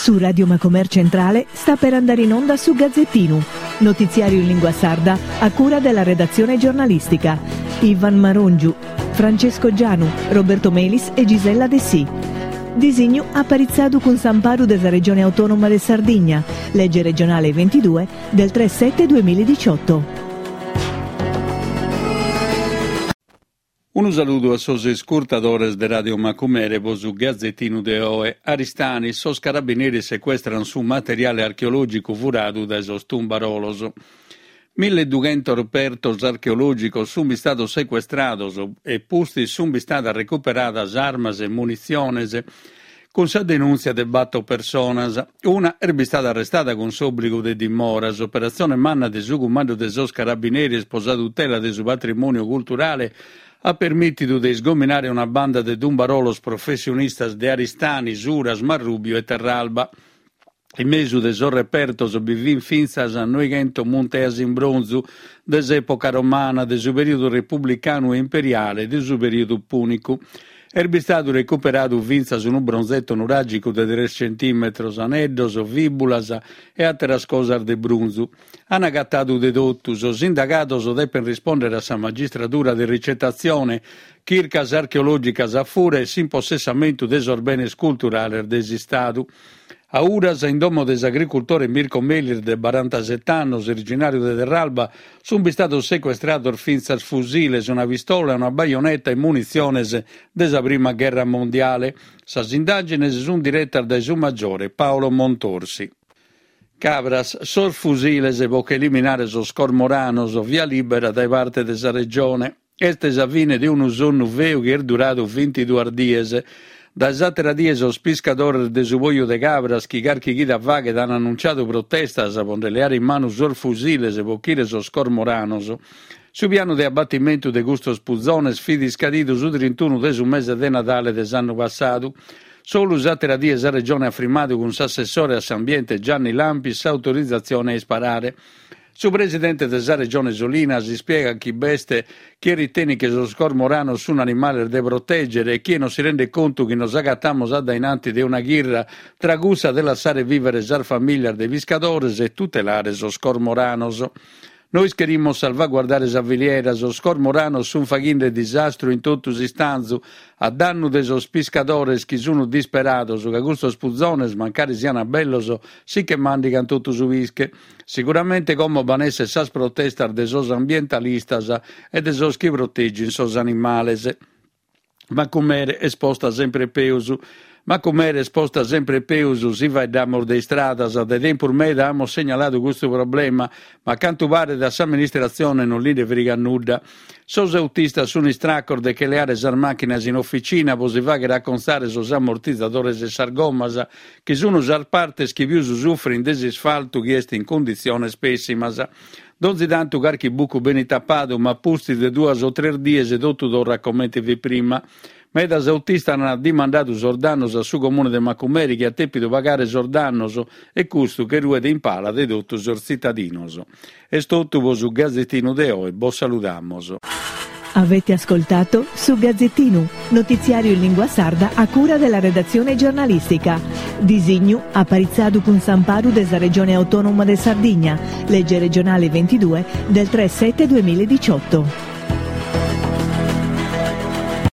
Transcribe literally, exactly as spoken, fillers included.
Su Radio Macomer Centrale sta per andare in onda su Gazzettinu, notiziario in lingua sarda a cura della redazione giornalistica. Ivan Marongiu, Francesco Gianu, Roberto Melis e Gisella Dessì. Disignu aparitzadu cun s'amparu de sa Regione Autonoma de Sardigna, legge regionale ventidue del tre sette duemiladiciotto. Unu saludu a sos iscurtadores de Radio Macumere po su Gazzettinu de oe. Aristanis, sos carabineris secuestran su materiale archeològicu furadu dae sos tumbarolos. Milleduchentos repertos archeològicos sunt istados secuestrados e pustis sunt istadas recuperadas armas e munitziones cun sa denùntzia de bator personas. Una est bistada arrestada cun s'òbligu de dimora. S'operatzione manna de su cumandu de sos carabineris pro sa tutela de su patrimòniu culturale at permìtidu de isgominare una banda de tumbarolos professionistas de Aristanis, Uras, Marrùbiu e Terralba. In mesu de sos repertos bi fin fintzas noighentos munteas in bronzu de s'època romana, de su perìodu republicanu e imperiale e de su perìodu pùnicu. Est bistadu recuperadu fintzas unu bronzetto nuràgicu de tres centìmetros, aneddos, fìbulas e àteras cosas de brunzu. An agatadu de totu. Sos indagados depen rispòndere a sa magistradura de ricetatzione, chircas archeològicas a fura e s'impossessamentu de sos benes culturales de s'Istadu. A Uras, in domo de s'agricultore Mirko Melis de barantasete annos, originàriu de Terralba, sunt bistados secuestrados fintzas fusiles, una pistola, una baioneta e munitziones de sa Prima Gherra Mondiale. Sas indàgines sunt diretas dae su maggiore Paolo Montorsi. Cabras, sos fusiles po che eliminare sos cormoranos, via libera dae parte de sa Regione. Est sa fine de unu sonnu feu chi est duradu bintiduas dies. Dae s'àtera die sos piscadores de su Poju de Cabras, chi carchi chida faghet an annunciadu protestas po nde leare in manu sos fusiles po ochire sos cormoranos. Su pianu de abatimentu de custos puzones fit iscadidu su trintunu de su mese de Nadale de s'annu passadu. Solu s'àtera die sa Regione at frimmadu cun s'assessore a s'ambiente Gianni Lampis s'autorizatzione a isparare. Su presidente de sa Regione Solinas ispiegat chi b'est chie ritenit chi sos cormoranos sunt animales de protègere e chie non si rendet contu chi nos agatamos a dainanti de una chirra tra cussa de lassare vìvere sas famìlias de piscadores e tutelare sos cormoranos. Nois cherimus salvaguardare sa filiera, sos cormoranos sunt faghende disastru in totu s'istanzu, a dannu de sos piscadores chi sunt disperados, ca custos puzones, mancari siant bellos, si che màndigant totu su pische. Siguramente como b'an esser sas protestas de sos ambientalistas e de sos chi protegint sos animales. Macumere est posta sempre peus. Macumere est posta sempre peus si faeddamos de istradas. Dae tempus meda amus segnaladu custu problema, ma a cantu paret a s'amministratzione non li nde frigat nudda. Sos autistas sunt istracos de che leare sas màchinas in oficina po si fàghere acontzare sos ammortizadores e sas gommas, chi sunt sas partes chi pius sufrint de s'isfaltu chi est in cunditziones pèssimas. Donzi tantu carchi bucu benit tapadu, ma pustis de duas o tres dies totu torrat comente fit prima. Medas autistas ant dimandadu sos dannos a su Comune de Macumere chi at tèpidu pagare sos dannos e custu che ruet in pala de totu sos tzitadinos. Est totu po su Gazzettinu de oe, bos saludamos. Avete ascoltato su Gazzettinu, notiziario in lingua sarda a cura della redazione giornalistica. Disignu aparitzadu cun s'amparu de sa Regione Autonoma de Sardigna, legge regionale ventidue del tre sette duemiladiciotto.